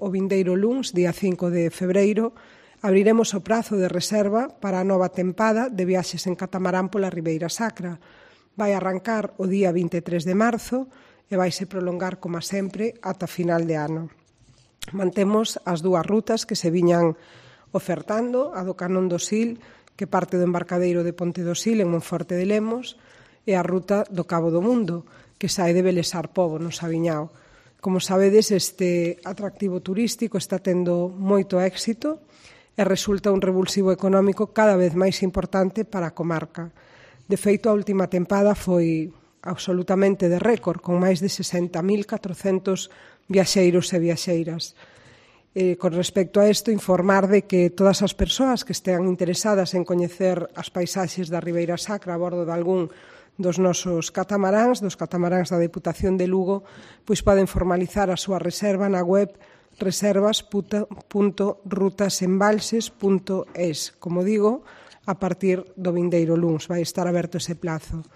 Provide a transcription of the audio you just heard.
o vindeiro luns, día 5 de febreiro, abriremos o prazo de reserva para a nova tempada de viaxes en catamarán pola Ribeira Sacra. Vai arrancar o día 23 de marzo e vaise prolongar, como sempre, ata final de ano. Mantemos as dúas rutas que se viñan ofertando, a do Canón do Sil, que parte do embarcadeiro de Ponte do Sil en Monforte de Lemos, e a ruta do Cabo do Mundo, que sae de Belesar Pobo, no Sabiñao. Como sabedes, este atractivo turístico está tendo moito éxito e resulta un revulsivo económico cada vez máis importante para a comarca. De feito, a última tempada foi absolutamente de récord, con máis de 60.400 viaxeiros e viaxeiras. Con respecto a isto, informar de que todas as persoas que estean interesadas en coñecer as paisaxes da Ribeira Sacra a bordo de algún dos nosos catamaráns, dos catamaráns da Deputación de Lugo, pois poden formalizar a súa reserva na web reservas.rutasembalses.es. Como digo, a partir do vindeiro luns vai estar aberto ese plazo.